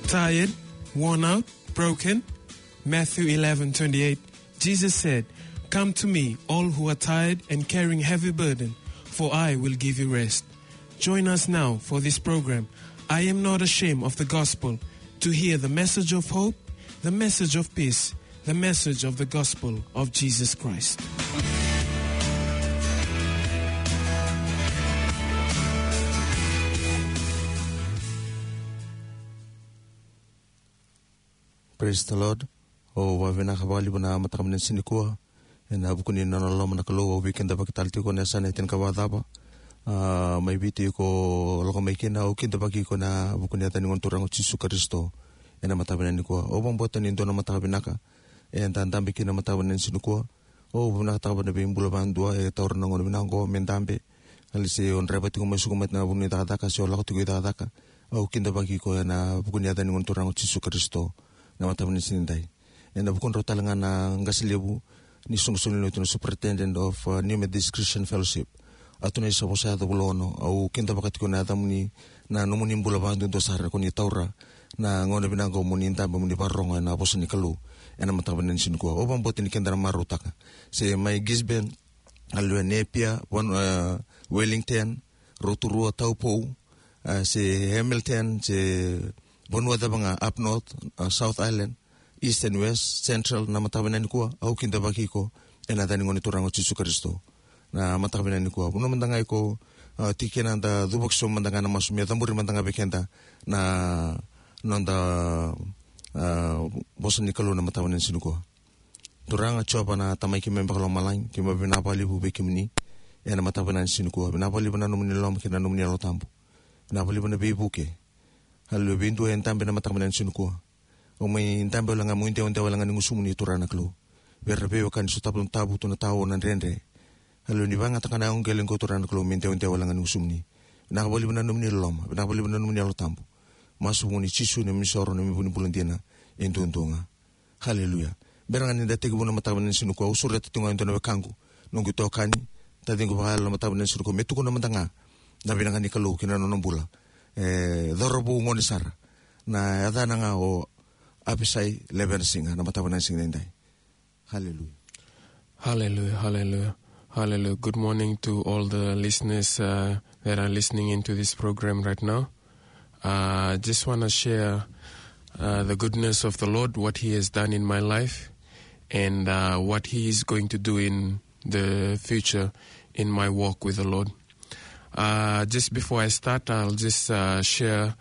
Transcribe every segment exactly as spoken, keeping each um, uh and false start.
Tired, worn out, broken? Matthew eleven twenty-eight, Jesus said, "Come to me, all who are tired and carrying heavy burden, for I will give you rest." Join us now for this program, I Am Not Ashamed of the Gospel, to hear the message of hope, the message of peace, the message of the gospel of Jesus Christ. Praise the Lord. Au vakavinavinaka vakalevu na mataka vinaka ni siga nikua. Ena vuku ni nona loloma na Kalou, au veikidavaki tale tiko ena yasana e tinikava cava. A, mai Viti iko lako mai kina, au kidavaki iko ena vuku ni yaca ni Gone Turaga o Jisu Karisito. Ena mataka vinaka nikua. Au vakabauta ni dua na mataka vinaka eda dabe kina ena mataka vinaka ni siga nikua. Au vinakataka vua na veibula vakadua e taura na gauna vinaka oqo me dabe. Kali se o draiva tiko mai Suka mai na vanua ni cakacaka, se o lako tiko i cakacaka. Au kidavaki iko ena vuku ni yaca ni Gone Turaga o Jisu Karisito. Na mataka vinaka ni siga nidai. Ena vukudrau tale ga na qase levu ni soqosoqo ni lotu na Superintendent of, uh, New Methodist Christian Fellowship. A tu na isa vosa yaco vula ono, au kidavaka tiko na yacamuni, na nomuni bula vakaduadua sara ko ni taura na gauna vinaka oqo mo ni dabe mo ni vakarorogo ena vosa ni Kalou. Ena mataka vinaka ni siga nikua. Au vakabauta ni keda na marautaka. Se mai Gisborne, Alua, Napier, Van-, uh, Wellington, Rotorua, Taupo, uh, se Hamilton, se vanua cava ga, up north, uh, South Island, East and West, Central, na mataka vinaka nikua, au kidavaki iko ena yaca ni Gone Turaga o Jisu Karisito. Na mataka vinaka nikua. Vanua mada ga iko, uh, tiko kina, da cuva ki so mada ga na masu me cabori mada ga vei keda na noda, uh, vosa ni Kalou na mataka vinaka ni siga nikua. Turaga Jiova na Tamai keimami vakalomalagi, keimami vinaka vakalevu vei kemuni ena mataka vinaka ni siga nikua. Vinaka vakalevu na nomuni loloma kei na nomuni Yalo Tabu. Vinaka vakalevu na veivuke. Haleluya, vei dua e dabe ena mataka vinaka ni siga nikua. O mai dabe wale ga, mo idewadewa wale ga ni gusumuni, Turaga na Kalou. Vei ira na veiwekani sotava na tabu, tu na tao, na dredre. Haleluya, ni vakayagataka na yago qele qo, Turaga na Kalou, me idewadewa wale ga ni gusumuni. Vinaka vakalevu na nomuni loloma, vinaka vakalevu na nomuni Yalo Tabu. Masu vua na Jisu na neimami isoro, na neimami vunibula dina e duadua ga. Haleluya. Bera ga ni da tekivu na mataka vinaka ni siga nikua, au sureta tiko ga e dua na wekaqu, noqu itokani, taciqu vakayalo, na mataka vinaka ni siga nikua, me tukuna mada ga na vinaka ni Kalou ki na nona bula. E cauravou gone sara, na yacana ga o Apisai Levenasiga, na mataka vinaka ni siga nidai. Haleluya. Hallelujah, hallelujah, hallelujah. Good morning to all the listeners, uh, that are listening into this program right now. Uh, just want to share, uh, the goodness of the Lord, what He has done in my life, and, uh, what He is going to do in the future in my walk with the Lord. Uh, just before I start, I'll just, uh, share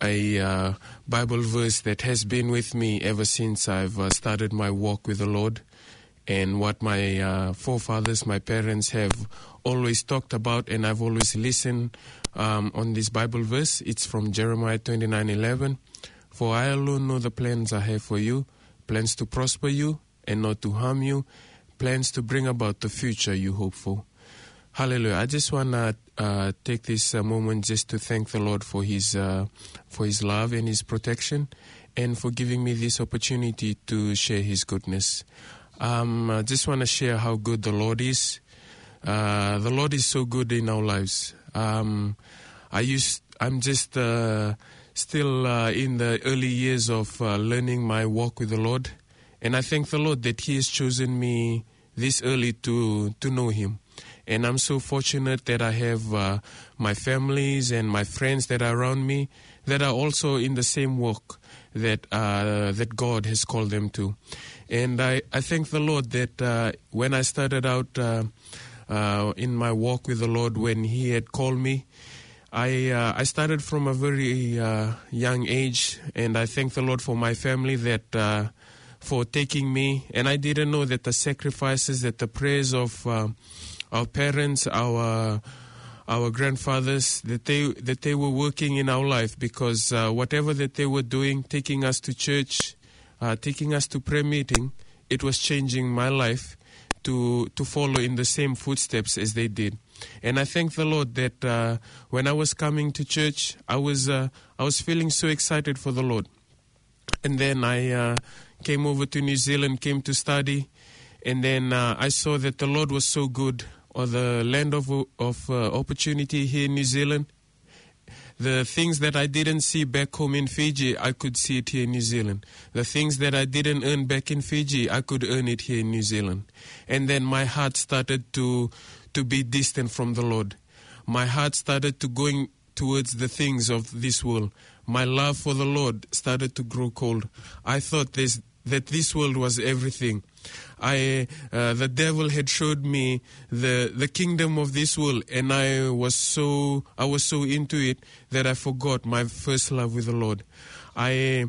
a, uh, Bible verse that has been with me ever since I've, uh, started my walk with the Lord, and what my, uh, forefathers, my parents have always talked about, and I've always listened, um, on this Bible verse. It's from Jeremiah twenty-nine eleven. "For I alone know the plans I have for you, plans to prosper you and not to harm you, plans to bring about the future you hope for." Hallelujah. I just want to, uh, take this, uh, moment just to thank the Lord for his, uh, for his love and his protection, and for giving me this opportunity to share his goodness. Um, I just want to share how good the Lord is. Uh, the Lord is so good in our lives. Um, I used, I'm just, uh, still, uh, in the early years of, uh, learning my walk with the Lord. And I thank the Lord that He has chosen me this early to, to know Him. And I'm so fortunate that I have, uh, my families and my friends that are around me that are also in the same walk that, uh, that God has called them to. And I, I thank the Lord that, uh, when I started out, uh, uh, in my walk with the Lord, when He had called me, I, uh, I started from a very, uh, young age, and I thank the Lord for my family that, uh, for taking me. And I didn't know that the sacrifices, that the prayers of, uh, our parents, our, our grandfathers, that they, that they were working in our life, because, uh, whatever that they were doing, taking us to church, uh, taking us to prayer meeting, it was changing my life to, to follow in the same footsteps as they did. And I thank the Lord that, uh, when I was coming to church, I was, uh, I was feeling so excited for the Lord. And then I, uh, came over to New Zealand, came to study. And then, uh, I saw that the Lord was so good, or the land of, of, uh, opportunity here in New Zealand. The things that I didn't see back home in Fiji, I could see it here in New Zealand. The things that I didn't earn back in Fiji, I could earn it here in New Zealand. And then my heart started to, to be distant from the Lord. My heart started to going towards the things of this world. My love for the Lord started to grow cold. I thought this, that this world was everything. I, uh, the devil had showed me the, the kingdom of this world, and I was so, I was so into it that I forgot my first love with the Lord. I,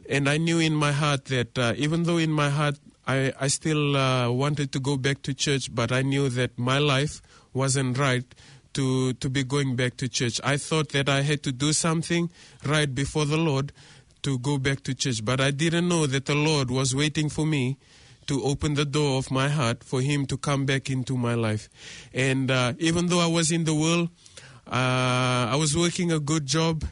and I knew in my heart that, uh, even though in my heart I, I still, uh, wanted to go back to church, but I knew that my life wasn't right to, to be going back to church. I thought that I had to do something right before the Lord to go back to church, but I didn't know that the Lord was waiting for me to open the door of my heart for Him to come back into my life. And, uh, even though I was in the world, uh, I was working a good job,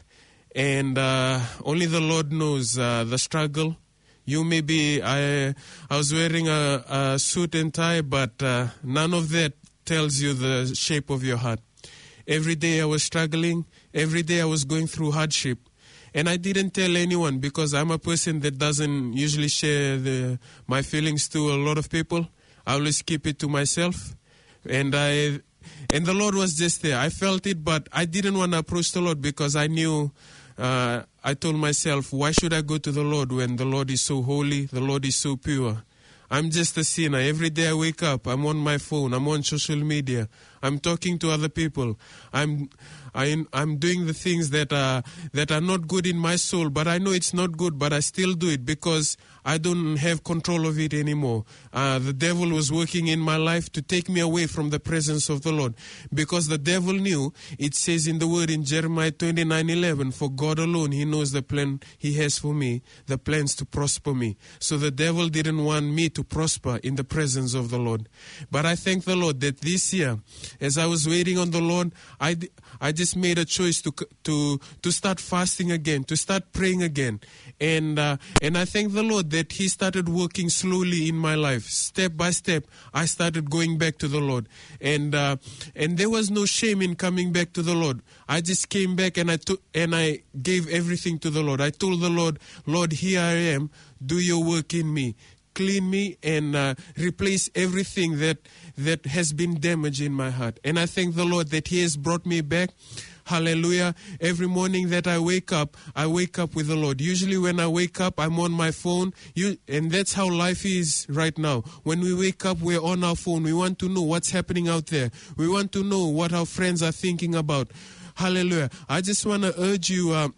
and, uh, only the Lord knows, uh, the struggle. You may be, I, I was wearing a, a suit and tie, but, uh, none of that tells you the shape of your heart. Every day I was struggling. Every day I was going through hardship. And I didn't tell anyone because I'm a person that doesn't usually share the, my feelings to a lot of people. I always keep it to myself. And I, and the Lord was just there. I felt it, but I didn't want to approach the Lord because I knew, uh, I told myself, "Why should I go to the Lord when the Lord is so holy, the Lord is so pure?" I'm just a sinner. Every day I wake up, I'm on my phone, I'm on social media, I'm talking to other people. I'm, I, I'm doing the things that are, that are not good in my soul, but I know it's not good, but I still do it because I don't have control of it anymore. Uh, the devil was working in my life to take me away from the presence of the Lord, because the devil knew, it says in the word in Jeremiah twenty-nine eleven, "For God alone, He knows the plan He has for me, the plans to prosper me." So the devil didn't want me to prosper in the presence of the Lord. But I thank the Lord that this year, as I was waiting on the Lord, I, d- I just made a choice to, c- to, to start fasting again, to start praying again. And, uh, and I thank the Lord that He started working slowly in my life. Step by step, I started going back to the Lord. And, uh, and there was no shame in coming back to the Lord. I just came back and I took, and I gave everything to the Lord. I told the Lord, "Lord, here I am. Do your work in me. Clean me and, uh, replace everything that, that has been damaged in my heart." And I thank the Lord that He has brought me back. Hallelujah. Every morning that I wake up, I wake up with the Lord. Usually when I wake up, I'm on my phone. You, and that's how life is right now. When we wake up, we're on our phone. We want to know what's happening out there. We want to know what our friends are thinking about. Hallelujah. I just want to urge you, uh,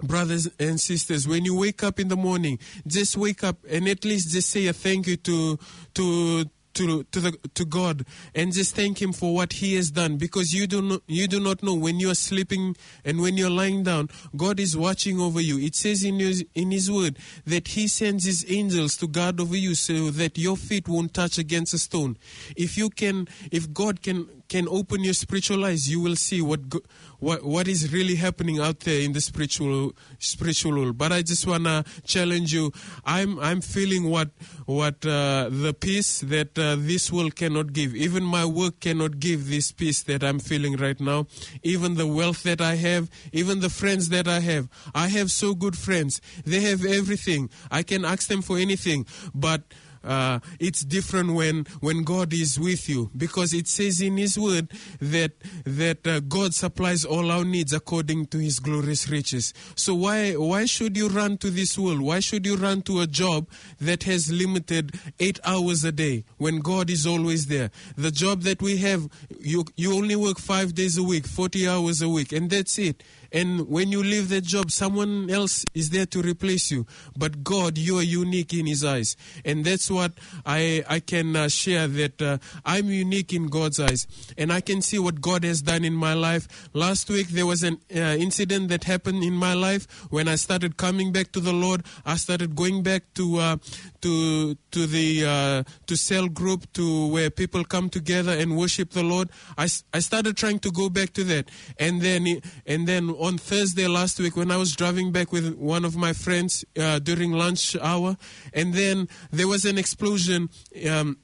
brothers and sisters, when you wake up in the morning, just wake up and at least just say a thank you to, to, to, to the, to God, and just thank Him for what He has done, because you do not, you do not know when you are sleeping and when you're lying down, God is watching over you. It says in His, in His word that He sends His angels to guard over you so that your feet won't touch against a stone. If you can, if God can, can open your spiritual eyes, you will see what go- what, what is really happening out there in the spiritual, spiritual world. But I just wanna challenge you. I'm, I'm feeling what, what, uh, the peace that, uh, this world cannot give. Even my work cannot give this peace that I'm feeling right now. Even the wealth that I have, even the friends that I have. I have so good friends. They have everything. I can ask them for anything. But uh, it's different when, when God is with you, because it says in His word that, that, uh, God supplies all our needs according to His glorious riches. So why, why should you run to this world? Why should you run to a job that has limited eight hours a day when God is always there? The job that we have, you, you only work five days a week, forty hours a week, and that's it. And when you leave the job, someone else is there to replace you. But God, you are unique in His eyes. And that's what I, I can, uh, share, that, uh, I'm unique in God's eyes. And I can see what God has done in my life. Last week, there was an, uh, incident that happened in my life. When I started coming back to the Lord, I started going back to, uh, to, to the, uh, to cell group, to where people come together and worship the Lord. I, s- I started trying to go back to that. And then, and then on Thursday last week, when I was driving back with one of my friends, uh, during lunch hour, and then there was an explosion, um,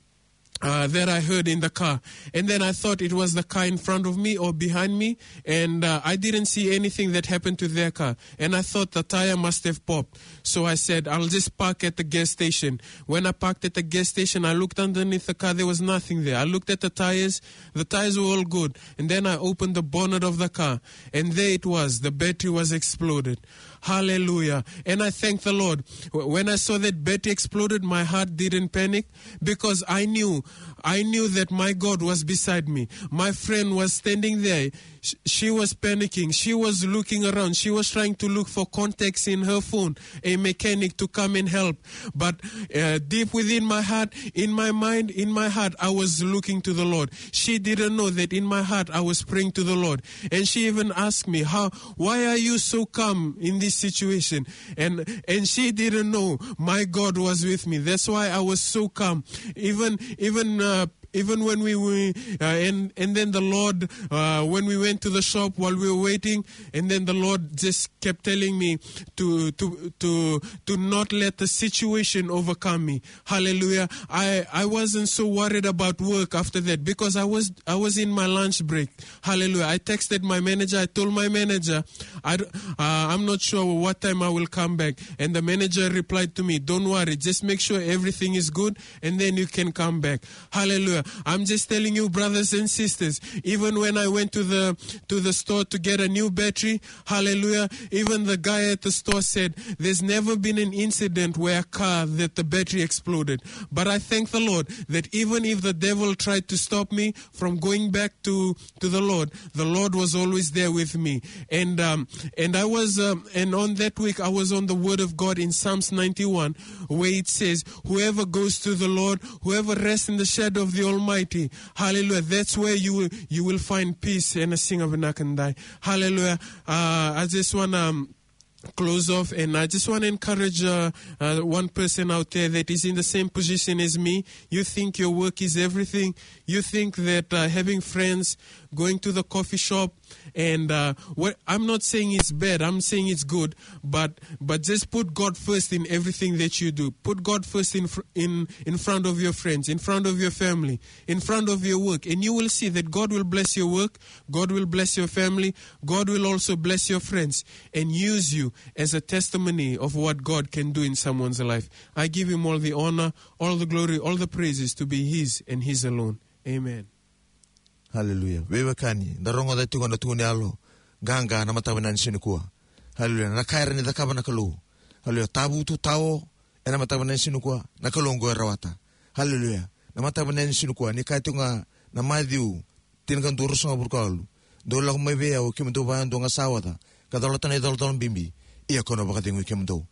uh, that I heard in the car. And then I thought it was the car in front of me or behind me, and uh, I didn't see anything that happened to their car. And I thought the tire must have popped. So I said, "I'll just park at the gas station." When I parked at the gas station, I looked underneath the car. There was nothing there. I looked at the tires. The tires were all good. And then I opened the bonnet of the car. And there it was. The battery was exploded. Hallelujah. And I thank the Lord. Wh- When I saw that battery exploded, my heart didn't panic because I knew, I knew that my God was beside me. My friend was standing there. Sh- She was panicking. She was looking around. She was trying to look for contacts in her phone, a mechanic to come and help. But uh, deep within my heart, in my mind, in my heart, I was looking to the Lord. She didn't know that in my heart, I was praying to the Lord. And she even asked me, "How, why are you so calm in this situation?" And, and she didn't know my God was with me. That's why I was so calm. Even, even, uh, even when we were, uh, and, and then the Lord, uh, when we went to the shop while we were waiting, and then the Lord just kept telling me to, to, to, to not let the situation overcome me. Hallelujah. I, I wasn't so worried about work after that because I was, I was in my lunch break. Hallelujah. I texted my manager. I told my manager, I, d- uh, "I'm not sure what time I will come back." And the manager replied to me, "Don't worry. Just make sure everything is good and then you can come back." Hallelujah. I'm just telling you, brothers and sisters, even when I went to the, to the store to get a new battery, hallelujah, even the guy at the store said, "There's never been an incident where a car that the battery exploded." But I thank the Lord that even if the devil tried to stop me from going back to, to the Lord, the Lord was always there with me. And, um, and I was, um, and on that week, I was on the word of God in Psalms ninety-one, where it says, "Whoever goes to the Lord, whoever rests in the shadow of the Almighty," hallelujah, that's where you will, you will find peace. And a sing of Nakandai. Hallelujah. Uh, I just want to, um, close off, and I just want to encourage uh, uh, one person out there that is in the same position as me. You think your work is everything. You think that uh, having friends, going to the coffee shop, and uh, what I'm not saying it's bad, I'm saying it's good, but but just put God first in everything that you do. Put God first in fr- in in front of your friends, in front of your family, in front of your work, and you will see that God will bless your work. God will bless your family. God will also bless your friends and use you as a testimony of what God can do in someone's life. I give him all the honor, all the glory, all the praises to be his and his alone. Amen. Haleluya. Veiwekani, da rogoca tiko na tukuni yalo qaqa na mataka vinaka ni siga nikua. Haleluya. Na ka era ni cakava na Kalou. Haleluya. Tavutu tao ena mataka vinaka ni siga nikua. Na Kalou oqo e rawata. Haleluya. Na mataka vinaka ni siga nikua, ni kaya tiko ga na Maciu tinikadua, ruasagavulu ka walu: "Dou lako mai vei au, kemudou vakayadua ga sa oca ka colata na icolacola bibi, ia kau na vakacegui kemudou."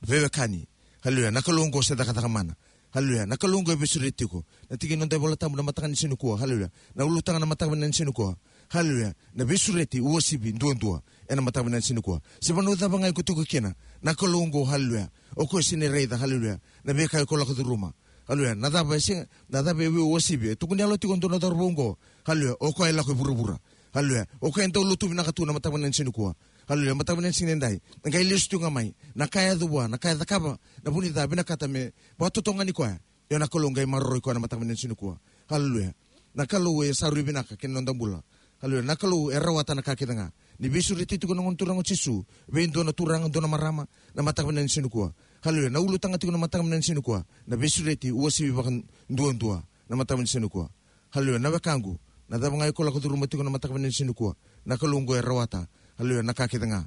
Veiwekani, haleluya, na Kalou oqo se cakacaka mana. Haleluya, na Kalou oqo e veisureti tiko. Na tiki ni noda iVola Tabu na mataka ni siga nikua, haleluya, na ulutaga na mataka vinaka ni siga nikua, haleluya, na veisureti, uasivi duadua ena mataka vinaka ni siga nikua. Se vanua cava ga iko tiko kina, na Kalou oqo, haleluya, o koya sega ni raica, haleluya, na veika iko lako curuma. Haleluya. Na cava e sega, na cava e veiuasivi? E tukuni yalo tiko e dua na cauravou oqo. Haleluya. O koya e lako i vuravura. Haleluya. O koya e dau lotu vinaka tu na mataka vinaka ni siga nikua. Haleluya. Mataka vinaka ni siga nidai, na qai lesu tiko ga mai na ka e yaco vua, na ka e cakava na vu ni ca, vinakata me vakatotogani koya. Ia na Kalou qai maroroi koya na mataka vinaka ni siga nikua. Haleluya. Na Kalou e sa rui vinaka kei na noda bula. Haleluya. Na Kalou e rawata na ka kece ga. Ni veisureti tiko na Gone Turaga o Jisu vei dua na turaga, dua na marama, na mataka vinaka ni siga nikua. Haleluya. Na ulutaga tiko na mataka vinaka ni siga nikua, na veisureti, uasivi vakaduadua na mataka vinaka ni siga nikua. Haleluya. Na wekaqu, na cava ga iko lako curuma tiko na mataka vinaka ni siga nikua, na Kalou oqo e rawata, haleluya, na ka kece ga.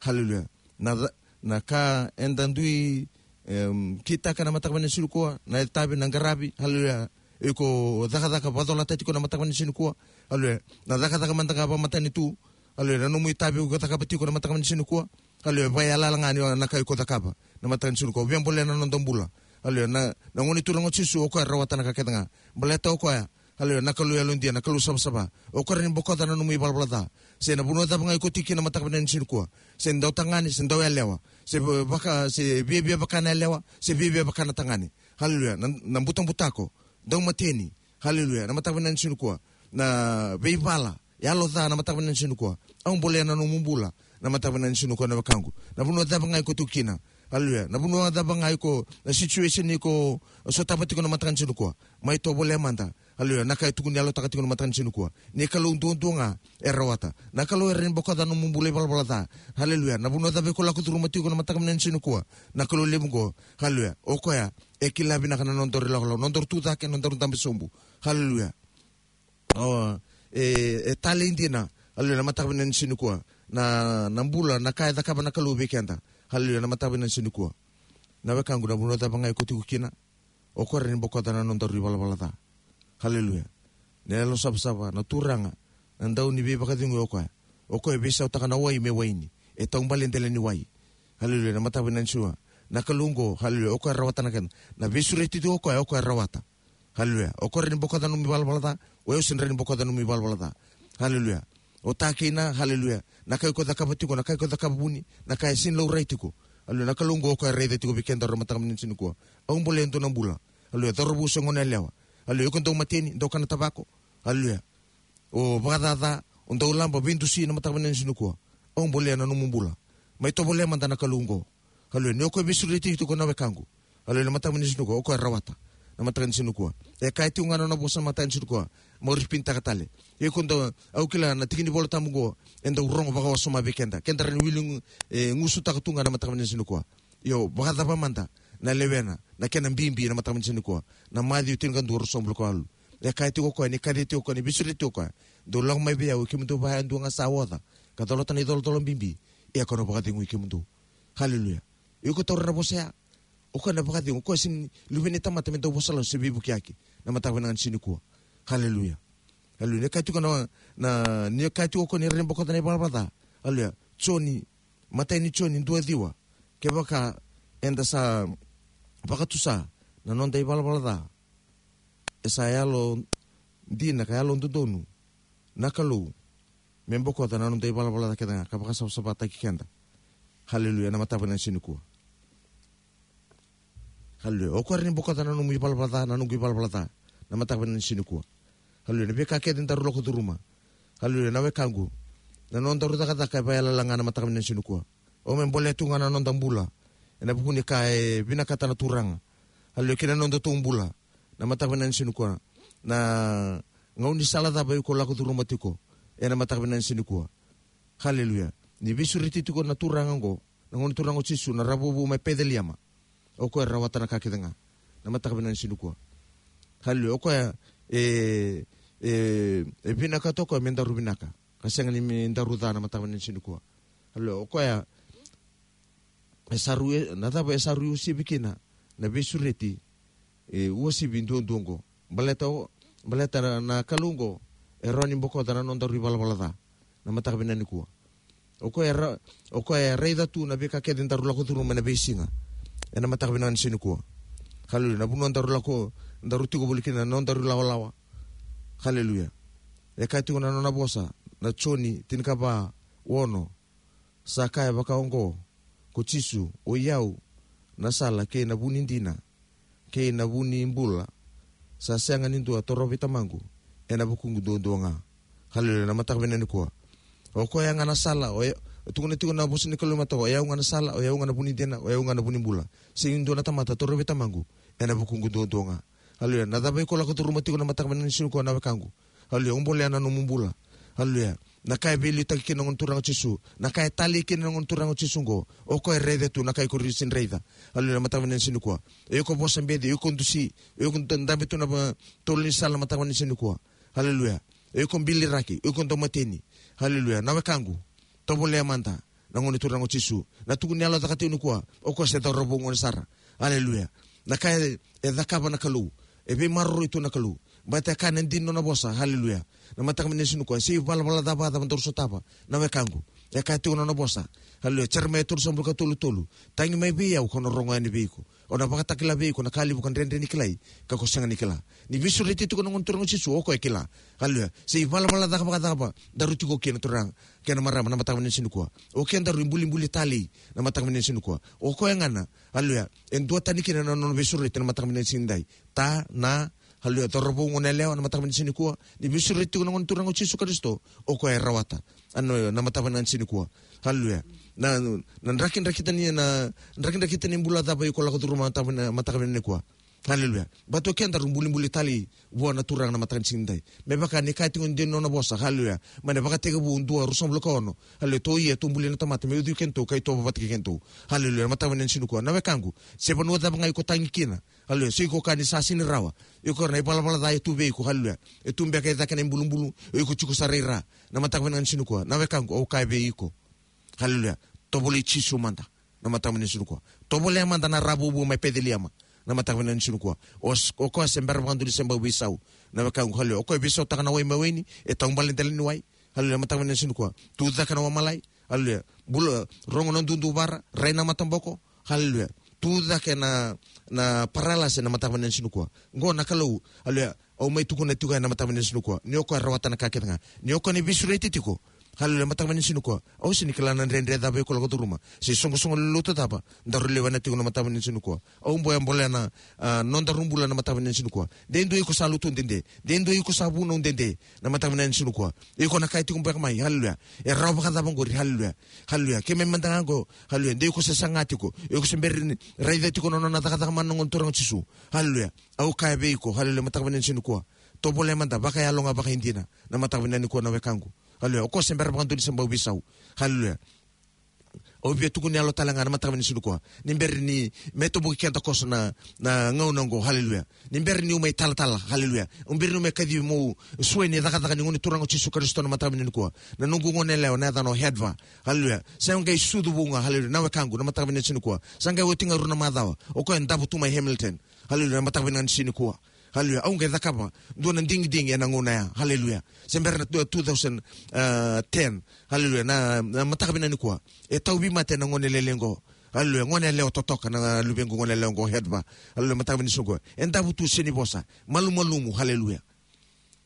Haleluya. Na ca-, na ka eda dui, em, kitaka na mataka vinaka ni siga nikua, na itavi, na qaravi, haleluya, iko cakacaka vakacolata tiko na mataka vinaka ni siga nikua. Haleluya. Na cakacaka mada ga vakamatanitu. Haleluya. Na nomu itavi iko cakava tiko na mataka vinaka ni siga nikua. Haleluya. Vakaiyalayala ga ni o na ka iko cakava na mataka ni siga nikua, via bolea na noda bula. Haleluya. Na, na Gone Turaga o Jisu, o koya e rawata na ka kece ga. Baleta o koya, haleluya, na Kalou yalodina, na Kalou savasava. O koya e rawa ni bokoca na nomu ivalavala ca, se na vanua cava ga iko tiko kina na mataka vinaka ni siga nikua. Se dau tagane, se dau yalewa, se vaka, se viavia vaka na yalewa, se viavia vaka na tagane. Haleluya. Na, na butabutako, dau mateni. Haleluya. Na mataka vinaka ni siga nikua, na veivala, yalo ca na mataka vinaka ni siga nikua, au bolea na nomu bula na mataka vinaka ni siga nikua, na wekaqu. Na vanua cava ga iko tiko kina, Haleluya. Na vanua cava ga iko, na situation iko sotava tiko na mataka ni siga nikua, mai tovolea mada. Haleluya. Na ka e tukuni yalotaka tiko na mataka ni siga nikua, ni Kalou duadua ga e rawata. Na Kalou e rawa ni bokoca na nomu bula ivalavala ca. Haleluya. Na vanua cava iko lako curuma tiko na mataka ni siga nikua, na Kalou levu oqo, haleluya, o koya e kila vinaka na nodaru ilakolako, nodaru tucake, nodaru dabe sobu. Haleluya. O, e, e talei dina. Haleluya. Na mataka ni siga nikua, na, na bula, na ka e cakava na Kalou vei keda. Haleluya. Na mataka ni siga nikua, na wekaqu, na vanua cava ga iko tiko kina, o koya e rawa ni bokoca na nodaru ivalavala ca. Haleluya. Na Yalosavasava, na Turaga, na Dauniveivakacegui, o koya. O koya e veisautaka na wai me waini, e taubale e dela ni wai. Haleluya. Na mataka ni siga nikua, na Kalou oqo, haleluya, o koya e rawata na kena, na veisureti tiko o koya, o koya e rawata. Haleluya. O koya e rawa ni bokoca na nomu ivalavala ca, o yau sega ni rawa ni bokoca na nomu ivalavala ca. Haleluya. O ta kei na, haleluya, na ka iko cakava tiko, na ka iko cakava vuni, na ka e sega ni laurai tiko. Haleluya. Na Kalou oqo o koya e raica tiko vei kedaru na mataka ni siga nikua. Au bolea e dua na bula. Haleluya. Cauravou se goneyalewa. Haleluya. Iko dau mateni, dau kana tavako. Haleluya. O vakacaca, o dau laba, veidusi na mataka ni siga nikua. Au bolea na nomu bula. Mai tovolea mada na Kalou oqo. Haleluya. Ni o koya e veisureti tiko, na wekaqu. Haleluya. Na mataka ni siga nikua, o koya e rawata. Na mataka ni siga nikua, e kaya tiko ga na nona vosa na mataka ni siga nikua. Mo ripitaka tale. Iko dau, au kila na tiki ni Volatabu oqo e dau rogo vakawasoma vei keda, keda rawa ni wili gu-, e, gusutaka tu ga na mataka ni siga nikua. Io, vakacava mada na lewena, na kena bibi na mataka ni siga nikua? Na Maciu tinikadua, ruasagavulu ka walu. E kaya tiko o koya, ni kaci tiko o koya, ni veisureti tiko o koya, dou lako mai vei au, kemudou va yadua ga sa oca ka colata na icolacola bibi, ia kau na vakacegui kemudou. Haleluya. Iko taura na vosa ya. O koya na vakacegu, o koya sega ni luve ni tamata me dau vosa lasu se veivukiyaki na mataka vinaka ni siga nikua. Haleluya. Haleluya. Ni kaya tiko na, na, ni kaya tiko o koya ni rawa ni bokoca na ivalavala ca. Haleluya. Joni, matai ni Joni dua ciwa. Kevaka eda sa vakatusa na noda ivalavala ca, e sa yalodina ka yalododonu na Kalou me bokoca na noda ivalavala ca kece ga ka vakasavasavataki keda. Haleluya. Na mataka vinaka ni siga nikua. Haleluya. O koya e rawa ni bokoca na nomu ivalavala ca, na noqu ivalavala ca, na mataka vinaka ni siga nikua. Haleluya. Na veika kece daru lako curuma. Haleluya. Na wekaqu, na nodaru cakacaka e vakayalala ga na mataka vinaka ni siga nikua. O me bolea tu ga na noda bula ena vuku ni ka e vinakata na Turaga. Haleluya. Kei na nodatou bula na mataka vinaka ni siga nikua. Na gaunisala cava iko lako curuma tiko ena mataka vinaka ni siga nikua. Haleluya. Ni veisureti tiko na Turaga oqo, na Gone Turaga o Jisu, na ravouvou mai Peceliema. O koya e rawata na ka kece ga na mataka vinaka ni siga nikua. Haleluya. O koya e, e, e vinakata o koya me daru vinaka, ka sega ni me daru ca na mataka vinaka ni siga nikua. Haleluya. O koya e sa rui, na cava e sa rui uasivi kina na veisureti, e, uasivi duadua oqo? Baleta o, baleta na, na Kalou oqo e rawa ni bokoca na nodaru ivalavala ca na mataka vinaka nikua. O koya e ra-, o koya e raica tu na veika kece daru lako curuma ena veisiga ena mataka vinaka ni siga nikua. Haleluya. Na vanua daru lako, daru tiko voli kina, na nodaru ilawalawa. Haleluya. E kaya tiko na nona vosa, na Joni tinikava, ono. Sa kaya vaka oqo ko Jisu, o i au na sala kei na vu ni dina kei na vu ni bula. Sa sega ni dua torovi Tamaqu ena vukuqu duadua ga. Haleluya. Na mataka vinaka nikua, o koya ga na sala, o ya-, tukuna tiko na vosa ni Kalou mataka, o yau ga na sala, o yau ga na vu ni dina, o yau ga na vu ni bula. Sega ni dua na tamata torovi Tamaqu ena vukuqu duadua ga. Haleluya. Na cava iko lako curuma tiko na mataka vinaka ni siga nikua, na wekaqu? Haleluya. Au bolea na nomu bula. Haleluya. Na ka e veiliutaki kina na Gone Turaga o Jisu, na ka e talei kina na Gone Turaga o Jisu oqo, o koya e raica tu na ka iko sega ni raica. Haleluya. Na mataka vinaka ni siga nikua, o iko vosa beci, o iko dusi, o iko da-, dabe tu na va-, tolo ni sala na mataka vinaka ni siga nikua. Haleluya. O iko biliraki, o iko dau mateni. Haleluya. Na wekaqu, tovolea mada na Gone Turaga o Jisu. Na tukuni yalo caka tiko nikua, o koya se cauravou gone sara. Haleluya. Na ka e, e cakava na Kalou, e veimaroroi tu na Kalou. Baleta e kaya na dina ni nona vosa. Haleluya. Na mataka vinaka ni siga nikua, se ivalavala cava, cava daru sotava, na wekaqu, e kaya tiko na nona vosa. Haleluya. Jeremaia tolusagavulu ka tolu, tolu. Tagi mai vei au, kau na rogo yani vei iko. Au na vakatakila vei iko na ka levu ka dredre ni kilai, ka ko sega ni kila. Ni veisureti tiko na Gone Turaga o Jisu, o koya e kila. Haleluya. Se ivalavala caka vakacava daru tiko kina, turaga kei na marama, na mataka vinaka ni siga nikua, o kedaru ibulibuli talei na mataka vinaka ni siga nikua, o koya ga na, haleluya, e duatani kina na nona veisureti na mataka vinaka ni siga nidai. Ta, na, Haleluya. Cauravou, goneyalewa, na mataka vinaka ni siga nikua, ni veisureti tiko na Gone Turaga o Jisu Karisito, o koya e rawata. Ano, na mataka vinaka ni siga nikua. Haleluya. Na, na drakidrakita ni, na drakidrakita ni bula cava iko lako curuma na mataka vinaka, mataka vinaka nikua. Haleluya. Baleta o keda daru bulibuli tale vua na Turaga na mataka ni siga nidai. Me vaka ni kaya tiko ni dina nona vosa. Haleluya. Mai na Vakatekivu dua, ruasagavulu ka ono. Haleluya. Tou ia, tou bulia na tamata me ucui kedatou, ka itovo vata kei kedatou. Haleluya. Na mataka vinaka ni siga nikua. Na wekaqu, se vanua cava ga iko tagi kina. Haleluya. Se iko kaya ni sa sega ni rawa. Iko na ivalavala ca e tu vei iko. Haleluya. E tu beka e cake na ibulubulu. O iko tiko sara i ra. Na mataka vinaka ni siga nikua. Na wekaqu, au kaya vei iko. Haleluya. Tovolei Jisu mada. Na mataka vinaka ni siga nikua. Tovolea mada na ra vuvu mai Peceliema. Na mataka vinaka ni siga nikua. O s-, o koya se bera vakadua ni se bau veisau. Na wekaqu, haleluya. O koya e veisautaka na wai me waini, e taubale dela ni wai. Haleluya, mataka vinaka ni siga nikua. Tu cake na wamalai. Haleluya. Bula, rogo na duduvara, rai na mataboko. Haleluya. Tu cake na, na paralase na mataka vinaka ni siga nikua. Qo na Kalou. Haleluya. Au mai tukuna tiko ena mataka vinaka ni siga nikua. Ni o koya e rawata na ka kece ga. Ni o koya ni veisureti tiko. Haleluya, mataka vinaka ni siga nikua. Au sega ni kila na dredre cava iko lako curuma. Se isoqosoqo lotu cava daru lewena tiko na mataka vinaka ni siga nikua. Au bau bolea na, a, nodaru bula na mataka vinaka ni siga nikua. De dua iko sa lotu dede. De dua iko sa vunau dede. Na mataka vinaka ni siga nikua. Iko na kaya tiko beka mai. Haleluya. E rawa vakacava qori. Haleluya. Haleluya. Keimami mada ga qo. Haleluya. De iko se saga tiko. Iko se bera ni raica tiko na nona cakacaka mana na Gone Turaga o Jisu. Haleluya. Au kaya vei iko, haleluya, mataka vinaka ni siga nikua. Tovolea mada, vakayalo ga vakaidina, na mataka vinaka nikua na wekaqu. Haleluya, o koya se bera vakadua ni se bau veisau. Haleluya. Au via tukuni yalo tale ga na mataka vinaka ni siga nikua. Ni bera ni me toboki keda koso na, na gauna oqo, haleluya. Ni bera niu mai talatala, haleluya. Ni bera niu mai kacivi meu suai ni cakacaka ni Gone Turaga o Jisu Karisito na mataka vinaka nikua. Na noqu goneyalewa na yacana o Hedva, haleluya. Sa qai sucu vou ga, haleluya, na wekaqu, na mataka vinaka ni siga nikua. Sa qai oti ga e rua na macawa. O koya e davo tu mai Hamilton. Haleluya, na mataka vinaka ni siga nikua. Haleluya, au qai cakava dua na digidigi ena gauna ya. Haleluya. Se bera na two thousand ten. Haleluya, na, na mataka vinaka nikua. E tauvi mate na gone lailai qo. Haleluya, goneyalewa totoka na luvequ goneyalewa qo Hedva. Haleluya, mataka vinaka ni siga nikua. E davo tu, sega ni vosa. Malumalumu, haleluya.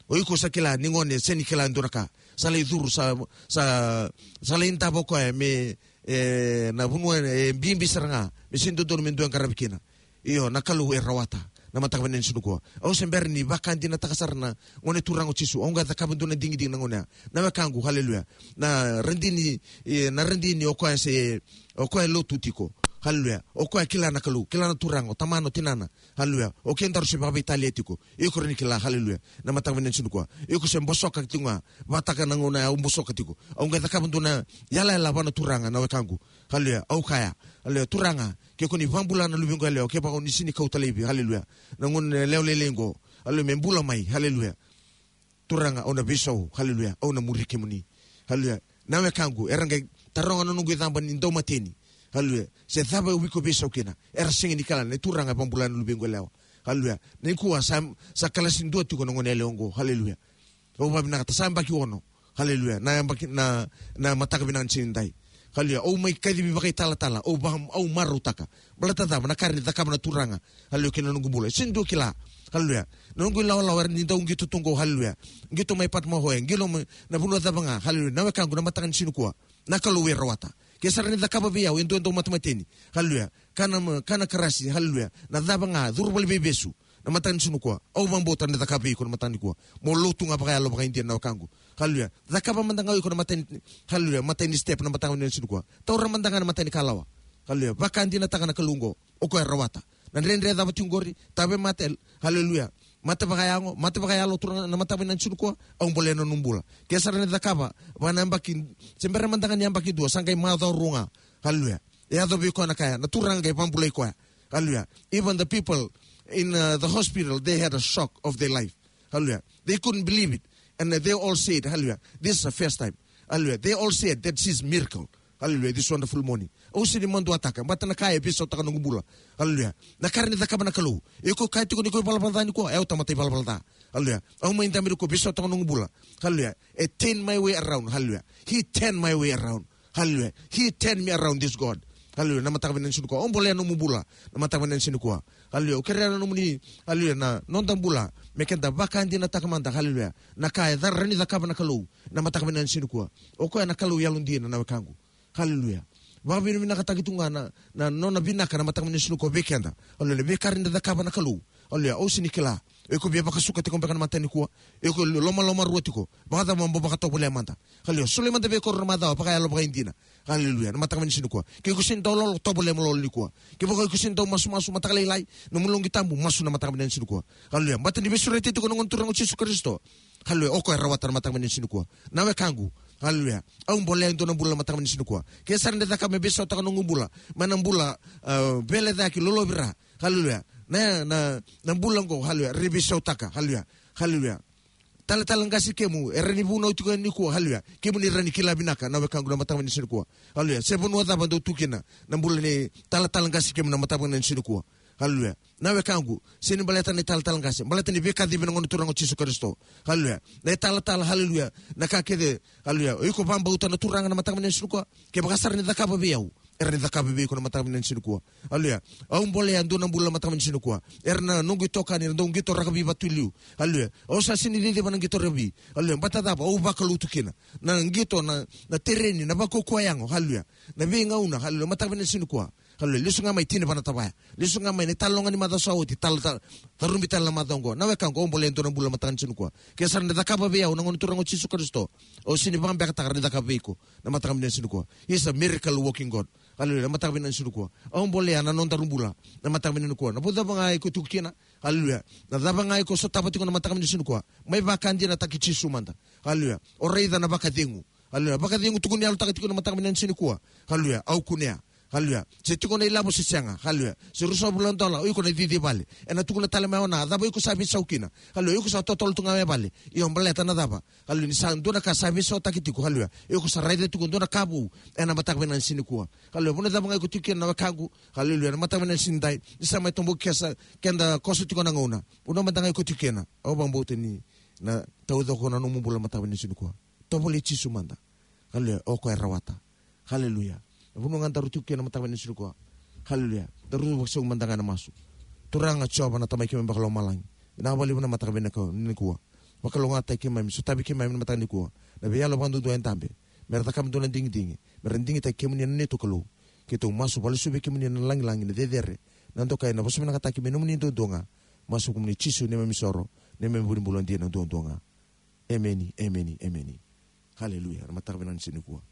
O iko sa kila ni gone sega ni kila e dua na ka. Sa lai curu sa, sa, sa lai davo koya me, e, na vanua e bibi sara ga. Me sega ni dodonu me dua e qaravi kina. Io, na Kalou e rawata. Na mataka vinaka ni siga nikua. Au se bera ni vakadinataka sara na Gone Turaga o Jisu. Au qai cakava dua na digidigi na gauna ya. Na wekaqu, haleluya. Na radini, e, na radini o koya se, o koya e lotu tiko. Haleluya. O koya e kila na Kalou, kila na Turaga, o tamana, o tinana. Haleluya. O kedaru se vakaveitalia tiko. Iko rawa ni kila, haleluya. Na mataka vinaka ni siga nikua. Iko se bosoka tiko ga. Vakataka na gauna ya au bosoka tiko. Au qai cakava dua na yalayala vua na Turaga na wekaqu. Haleluya. Au kaya. Haleluya. Turaga, ke ko ni vakabula na luvequ yalewa, kevaka o ni sega ni kauta laivi. Haleluya. Na goneyalewa lailai qo. Haleluya. Me bula mai. Haleluya. Turaga, au na veisau, haleluya, au na muri kemuni. Haleluya. Na wekaqu, era qai taroga na noqu icaba ni daumateni. Haleluya. Se cava au iko veisau kina. Era sega ni kila, na Turaga e vakabula na luvequ yalewa. Haleluya. Nikua sa, sa kalasi dua tiko na goneyalewa qo. Haleluya. Au vakavinakata, sa yabaki ono. Haleluya. Na yabaki, na, na mataka vinaka ni siga nidai. Haleluya. Au mai kacivi vakaitalatala. Au vaka, au marautaka. Baleta cava, na ka e rawa ni cakava na Turaga. Haleluya, kei na noqu bula. Sega ni dua kila. Haleluya. Na noqu ilawalawa e rawa ni dau qito tu qo. Haleluya. Qito mai Patumahoe. Qito mai na vanua cava ga. Haleluya. Na wekaqu, na mataka ni siga nikua. Na Kalou e rawata. Ke sa rawa ni cakava vei au e dua e dau matemateni. Haleluya. Kana, kana karasi. Haleluya. Na cava ga. Curu valeniveivesu. Na mataka ni siga nikua. Au vakabauta ni cakava vei iko na mataka nikua. Mo lotu ga vakayalo vakaidina na wekaqu. Haleluya. Cakava mada ga o iko na matai ni, haleluya, matai ni step na mataka ni siga nikua. Taura mada ga na matai ni kalawa. Haleluya. Vakadinataka na Kalou qo. O koya e rawata. Na dredre cava tiko qori. Tave mate. Haleluya. Mate vakayago. Mate vakayalo, Turaga, na mataka ni siga nikua. Au bolea na nomu bula. Ke sa rawa ni cakava. Vaka na yabaki. Se bera mada ga ni yabaki dua. Sa qai macawa rua ga. Haleluya. E yaco vei koya na ka ya. Na Turaga qai vakabulai koya. Hallelujah. Even the people in, uh, the hospital, they had a shock of their life. Hallelujah. They couldn't believe it. And, uh, they all said, hallelujah, this is the first time. Hallelujah. They all said that she's miracle. Hallelujah. This wonderful morning. Au sega ni maduataka, baleta na ka e veisautaka noqu bula. Hallelujah. Na ka e rawa ni cakava na Kalou. Iko kaya tiko ni ko ivalavala ca nikua, au tamata ivalavala ca. Hallelujah. Au mai dabe ni ko veisautaka noqu bula. Hallelujah. E turn my way around. Hallelujah. He turned my way around. Hallelujah. He turned me around, this God. Hallelujah. Na mataka vinaka ni siga nikua. Au bolea nomu bula. Na mataka vinaka ni siga nikua. Hallelujah. Au kerea na nomuni, hallelujah, na noda bula. Me keda vakadinataka mada. Hallelujah. Na ka e rawa ni cakava na Kalou. Na mataka vinaka ni siga nikua. O koya na Kalou yalodina, na wekaqu. Hallelujah. Vakavinavinakataki tu ga na, na nona vinaka na mataka vinaka ni siga nikua vei keda. Hallelujah. Veika e rawa ni cakava na Kalou. Hallelujah. Au sega ni kila. O iko via vakasuka tiko beka na mataka nikua. O iko lomalomarua tiko. Vakacava mo vakatovolea mada? Haleluya. Solia mada vei koya na macawa vakayalo vakaidina. Haleluya. Na mataka vinaka ni siga nikua. Ke iko sega ni dau lolo, tovolea mo lolo nikua. Kevaka iko sega ni dau masumasu mataka lailai, na nomu loqi tabu, masu na mataka vinaka ni siga nikua. Haleluya. Baleta ni veisureti tiko na Gone Turaga o Jisu Karisito. Haleluya. O koya e rawata na mataka vinaka ni siga nikua. Na wekaqu. Haleluya. Au bolea e dua na bula na mataka vinaka ni siga nikua. Ke sa rawa ni cakava me veisautaka na noqu bula. Mai na bula, ah, veilecayaki, lolovira. Haleluya. Na, na, na bula oqo, haleluya, e veisautaka, haleluya. Haleluya. Talatala qase kemu, e rawa ni vunau tiko yani nikua, haleluya. Kemuni rawa ni kila vinaka, na wekaqu, na mataka vinaka ni siga nikua. Haleluya. Se vanua cava dou tu kina, na bula ni talatala qase kemu, na mataka vinaka ni siga nikua. Haleluya. Na wekaqu, sega ni baleta ni talatala qase, baleta ni veikacivi na Gone Turaga o Jisu Karisito. Haleluya. Na italatala, haleluya. Na ka kece, haleluya. O iko vakabauta na Turaga na mataka vinaka ni siga nikua. Kevaka sa rawa ni cakava vei au, e rawa ni cakava vei iko na mataka vinaka ni siga nikua. Haleluya. Au bolea e dua na bula na mataka vinaka ni siga nikua. Era na noqu itokani, era dau qito rakavi vatu i liu. Haleluya. Au sa sega ni ciciva na qito rakavi. Haleluya. Baleta cava? Au vakalou tu kina. Na qito, na, na tereni, na vakaukauwa yago. Haleluya. Na veigauna. Haleluya. Mataka vinaka ni siga nikua. Haleluya. Lesu ga mai, tini vana tavaya. Lesu ga mai na italanoa ni macawa sa oti, tala, tala, tarubi tale na macawa oqo. Na wekaqu, au bolea e dua na bula na mataka ni siga nikua. Ke sa rawa ni cakava vei au na Gone Turaga o Jisu Karisito, au sega ni vakabekataka, rawa ni cakava vei iko na mataka vinaka ni siga nikua. He's a miracle working God. Haleluya. Na mataka vinaka ni siga nikua. Au bolea na nodaru bula na mataka vinaka nikua. Na vanua cava ga iko tiko kina. Haleluya. Na cava ga iko sotava tiko na mataka vinaka ni siga nikua. Mai vakadinataki Jisu mada. Haleluya. O raica na vakacegu. Haleluya. Vakacegu tukuni yalotaka tiko na mataka vinaka ni siga nikua. Haleluya. Au kunea. Haleluya. Se tiko na ilavo se sega. Haleluya. Se ruasagavulu na dola, o iko na cici vale. Ena tukuna tale mai o Na, cava iko sa veisau kina? Haleluya. Iko sa totolo tu ga mai vale. Io, baleta na cava? Haleluya. Ni sa dua na ka sa veisautaki tiko. Haleluya. Iko sa raica tiko dua na ka vou ena mataka vinaka ni siga nikua. Haleluya. Vanua cava ga iko tiko kina, na wekaqu. Haleluya. Na mataka vinaka ni siga nidai, ni sa mai toboki keda, keda koso tiko na gauna. Vanua mada ga iko tiko kina, au vakabauta ni na taucoko na nomu bula na mataka vinaka ni siga nikua. Tovolei Jisu mada. Haleluya. O koya e rawata. Haleluya. Na vanua ga daru tiko kina na mataka vinaka ni siga nikua. Haleluya. Daru vakasau mada ga ena masu. Turaga Jiova na Tamai keimami vakalomalagi. Vinaka vakalevu na mataka vinaka nikua. Vakalougatataki keimami, sotavi keimami na mataka nikua. Na veiyalo vakaduadua e dabe. Mera cakava dua na digidigi. Mera digitaki kemuni na neitou Kalou. Keitou masu vakalesuya vei kemuni na lagilagi, na cecere, na dokai, na vosa vinakataki me nomuni duadua ga. Masu kemuni Jisu, neimami isoro, neimami vu ni bula dina duadua ga. Emeni, emeni, emeni. Haleluya. Na mataka vinaka ni siga nikua.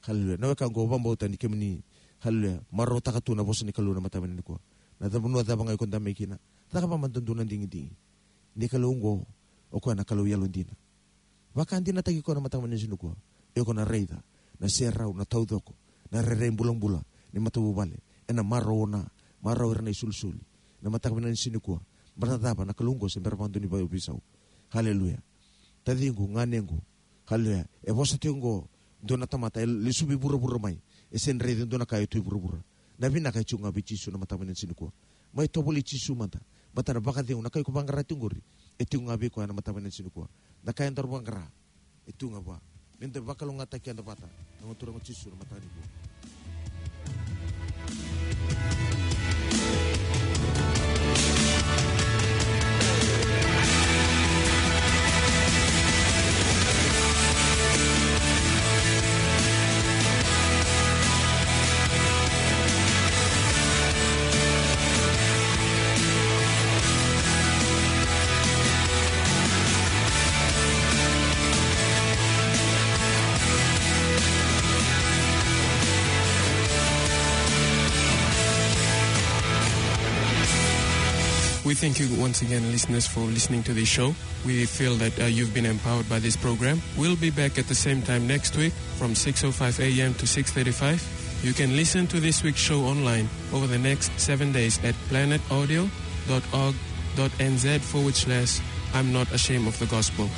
Haleluya. Na wekaqu, au vakabauta ni kemuni, haleluya, marautaka tu na vosa ni Kalou na mataka vinaka nikua. Na ca, vanua cava ga iko dabe mai kina, cakava mada dua na digidigi. Ni Kalou oqo, o koya na Kalou yalodina. Vakadinataki koya na mataka vinaka ni siga nikua. Iko na raica na serau, na taucoko, na rairai bulabula ni matavuvale. Ena marau o Na, marau ira na isolisoli na mataka vinaka ni siga nikua. Baleta cava? Na Kalou oqo se bera vakadua ni vakaveisau. Haleluya. Taciqu, ganequ. Haleluya. E vosa tiko oqo dua na tamata e lesuvi vuravura mai. E sega ni raica e dua na ka e tu e vuravura. Na vinaka e tiko ga vei Jisu na mataka vinaka ni siga nikua. Mai tovolei Jisu mada. Baleta na vakacegu, na ka iko vaqara tiko qori, e tiko ga vei koya na mataka vinaka ni siga nikua. Na ka edaru vaqara, e tu ga vua. Meda vakalougatataki keda vata na Gone Turaga o Jisu na mataka nikua. We thank you once again, listeners, for listening to this show. We feel that, uh, you've been empowered by this program. We'll be back at the same time next week from six oh five a m to six thirty-five. You can listen to this week's show online over the next seven days at planet audio dot org dot n z forward slash I'm not ashamed of the gospel.